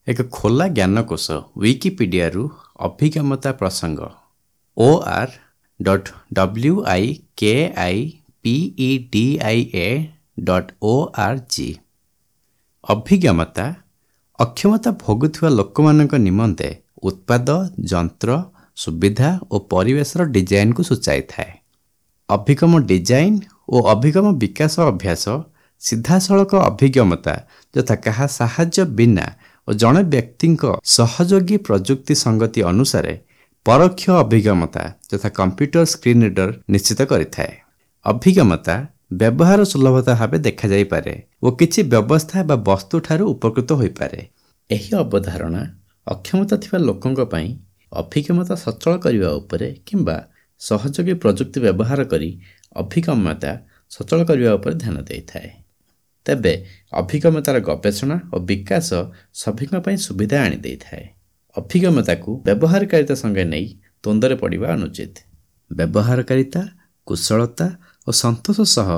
ଏକ ଖୋଲା ଜ୍ଞାନକୋଷ ଉଇକିପିଡ଼ିଆରୁ ଅଭିଗମତା ପ୍ରସଙ୍ଗ or.wikipedia.org। ଅଭିଗମତା ଅକ୍ଷମତା ଭୋଗୁଥିବା ଲୋକମାନଙ୍କ ନିମନ୍ତେ ଉତ୍ପାଦ, ଯନ୍ତ୍ର, ସୁବିଧା ଓ ପରିବେଶର ଡିଜାଇନକୁ ସୂଚାଇଥାଏ। ଅଭିଗମ ଡିଜାଇନ ଓ ଅଭିଗମ ବିକାଶ ଅଭ୍ୟାସ ସିଧାସଳଖ ଅଭିଗମତା, ଯଥା କାହା ସାହାଯ୍ୟ ବିନା, ଓ ଜଣେ ବ୍ୟକ୍ତିଙ୍କ ସହଯୋଗୀ ପ୍ରଯୁକ୍ତି ସଙ୍ଗତି ଅନୁସାରେ ପରୋକ୍ଷ ଅଭିଗମତା, ଯଥା କମ୍ପ୍ୟୁଟର ସ୍କ୍ରିନ୍ ରିଡର, ନିଶ୍ଚିତ କରିଥାଏ। ଅଭିଗମତା ବ୍ୟବହାର ସୁଲଭତା ଭାବେ ଦେଖାଯାଇପାରେ ଓ କିଛି ବ୍ୟବସ୍ଥା ବା ବସ୍ତୁଠାରୁ ଉପକୃତ ହୋଇପାରେ। ଏହି ଅବଧାରଣା ଅକ୍ଷମତା ଥିବା ଲୋକଙ୍କ ପାଇଁ ଅଭିଗମତା ସଚଳ କରିବା ଉପରେ କିମ୍ବା ସହଯୋଗୀ ପ୍ରଯୁକ୍ତି ବ୍ୟବହାର କରି ଅଭିଗମ୍ୟତା ସଚଳ କରିବା ଉପରେ ଧ୍ୟାନ ଦେଇଥାଏ। ତେବେ ଅଭିଗମତାର ଗବେଷଣା ଓ ବିକାଶ ସଭିଙ୍କ ପାଇଁ ସୁବିଧା ଆଣିଦେଇଥାଏ। ଅଭିଗମତାକୁ ବ୍ୟବହାରକାରିତା ସଙ୍ଗେ ନେଇ ଦ୍ୱନ୍ଦ୍ୱରେ ପଡ଼ିବା ଅନୁଚିତ। ବ୍ୟବହାରକାରିତା, କୁଶଳତା ଓ ସନ୍ତୋଷ ସହ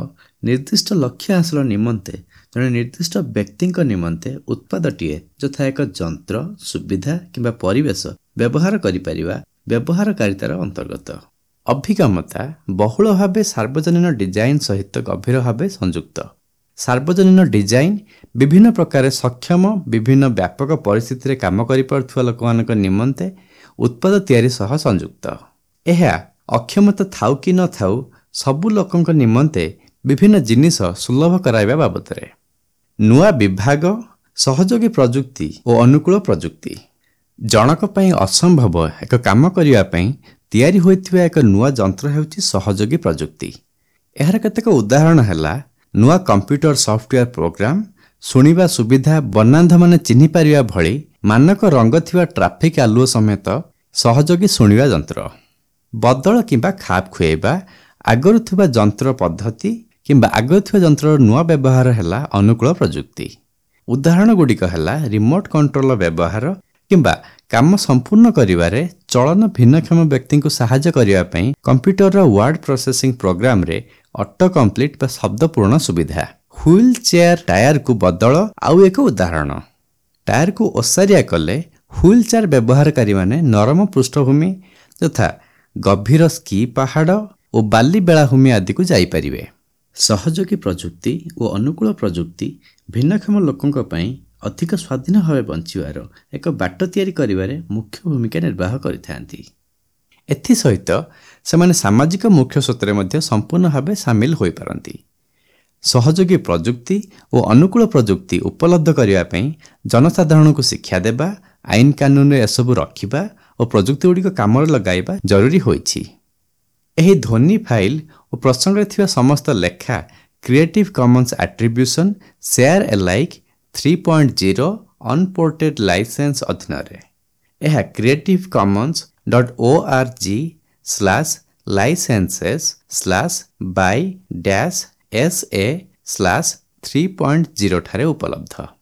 ନିର୍ଦ୍ଦିଷ୍ଟ ଲକ୍ଷ୍ୟ ହାସଲ ନିମନ୍ତେ ଜଣେ ନିର୍ଦ୍ଦିଷ୍ଟ ବ୍ୟକ୍ତିଙ୍କ ନିମନ୍ତେ ଉତ୍ପାଦଟିଏ, ଯଥା ଏକ ଯନ୍ତ୍ର, ସୁବିଧା କିମ୍ବା ପରିବେଶ, ବ୍ୟବହାର କରିପାରିବା ବ୍ୟବହାରକାରିତାର ଅନ୍ତର୍ଗତ। ଅଭିଗମତା ବହୁଳ ଭାବେ ସାର୍ବଜନୀନ ଡିଜାଇନ ସହିତ ଗଭୀର ଭାବେ ସଂଯୁକ୍ତ। ସାର୍ବଜନୀନ ଡିଜାଇନ ବିଭିନ୍ନ ପ୍ରକାରେ ସକ୍ଷମ, ବିଭିନ୍ନ ବ୍ୟାପକ ପରିସ୍ଥିତିରେ କାମ କରିପାରୁଥିବା ଲୋକମାନଙ୍କ ନିମନ୍ତେ ଉତ୍ପାଦ ତିଆରି ସହ ସଂଯୁକ୍ତ। ଏହା ଅକ୍ଷମତା ଥାଉ କି ନ ଥାଉ ସବୁ ଲୋକଙ୍କ ନିମନ୍ତେ ବିଭିନ୍ନ ଜିନିଷ ସୁଲଭ କରାଇବା ବାବଦରେ। ନୂଆ ବିଭାଗ, ସହଯୋଗୀ ପ୍ରଯୁକ୍ତି ଓ ଅନୁକୂଳ ପ୍ରଯୁକ୍ତି। ଜଣକ ପାଇଁ ଅସମ୍ଭବ ଏକ କାମ କରିବା ପାଇଁ ତିଆରି ହୋଇଥିବା ଏକ ନୂଆ ଯନ୍ତ୍ର ହେଉଛି ସହଯୋଗୀ ପ୍ରଯୁକ୍ତି। ଏହାର କେତେକ ଉଦାହରଣ ହେଲା ନୂଆ କମ୍ପ୍ୟୁଟର ସଫ୍ଟୱେୟାର ପ୍ରୋଗ୍ରାମ, ଶୁଣିବା ସୁବିଧା, ବର୍ଣ୍ଣାନ୍ଧମାନେ ଚିହ୍ନି ପାରିବା ଭଳି ମାନକ ରଙ୍ଗ ଥିବା ଟ୍ରାଫିକ୍ ଆଲୁଅ ସମେତ ସହଯୋଗୀ ଶୁଣିବା ଯନ୍ତ୍ର। ବଦଳ କିମ୍ବା ଖାପ ଖୁଆଇବା ଆଗରୁ ଥିବା ଯନ୍ତ୍ର ପଦ୍ଧତି କିମ୍ବା ଆଗରୁ ଥିବା ଯନ୍ତ୍ରର ନୂଆ ବ୍ୟବହାର ହେଲା ଅନୁକୂଳ ପ୍ରଯୁକ୍ତି। ଉଦାହରଣଗୁଡ଼ିକ ହେଲା ରିମୋଟ୍ କଣ୍ଟ୍ରୋଲର ବ୍ୟବହାର କିମ୍ବା କାମ ସମ୍ପୂର୍ଣ୍ଣ କରିବାରେ ଚଳନ ଭିନ୍ନକ୍ଷମ ବ୍ୟକ୍ତିଙ୍କୁ ସାହାଯ୍ୟ କରିବା ପାଇଁ କମ୍ପ୍ୟୁଟରର ୱାର୍ଡ ପ୍ରୋସେସିଂ ପ୍ରୋଗ୍ରାମରେ ଅଟୋ କମ୍ପ୍ଲିଟ୍ ବା ଶବ୍ଦ ପୂରଣ ସୁବିଧା। ହ୍ୱିଲ୍ ଚେୟାର ଟାୟାରକୁ ବଦଳ ଆଉ ଏକ ଉଦାହରଣ। ଟାୟାରକୁ ଓସାରିଆ କଲେ ହ୍ୱିଲ୍ ଚେୟାର ବ୍ୟବହାରକାରୀମାନେ ନରମ ପୃଷ୍ଠଭୂମି, ଯଥା ଗଭୀର ସ୍କି ପାହାଡ଼ ଓ ବାଲି ବେଳାଭୂମି ଆଦିକୁ ଯାଇପାରିବେ। ସହଯୋଗୀ ପ୍ରଯୁକ୍ତି ଓ ଅନୁକୂଳ ପ୍ରଯୁକ୍ତି ଭିନ୍ନକ୍ଷମ ଲୋକଙ୍କ ପାଇଁ ଅଧିକ ସ୍ୱାଧୀନ ଭାବେ ବଞ୍ଚିବାର ଏକ ବାଟ ତିଆରି କରିବାରେ ମୁଖ୍ୟ ଭୂମିକା ନିର୍ବାହ କରିଥାନ୍ତି। ଏଥିସହିତ ସେମାନେ ସାମାଜିକ ମୁଖ୍ୟ ସ୍ରୋତରେ ମଧ୍ୟ ସମ୍ପୂର୍ଣ୍ଣ ଭାବେ ସାମିଲ ହୋଇପାରନ୍ତି। ସହଯୋଗୀ ପ୍ରଯୁକ୍ତି ଓ ଅନୁକୂଳ ପ୍ରଯୁକ୍ତି ଉପଲବ୍ଧ କରିବା ପାଇଁ ଜନସାଧାରଣଙ୍କୁ ଶିକ୍ଷା ଦେବା, ଆଇନ କାନୁନରେ ଏସବୁ ରଖିବା ଓ ପ୍ରଯୁକ୍ତିଗୁଡ଼ିକ କାମରେ ଲଗାଇବା ଜରୁରୀ ହୋଇଛି। ଏହି ଧ୍ୱନି ଫାଇଲ ଓ ପ୍ରସଙ୍ଗରେ ଥିବା ସମସ୍ତ ଲେଖା Creative Commons Attribution Share Alike 3.0 Unported licence ଅଧୀନରେ। ଏହା creativecommons.org/licenses/by-sa/3.0 ଠାରେ ଉପଲବ୍ଧ।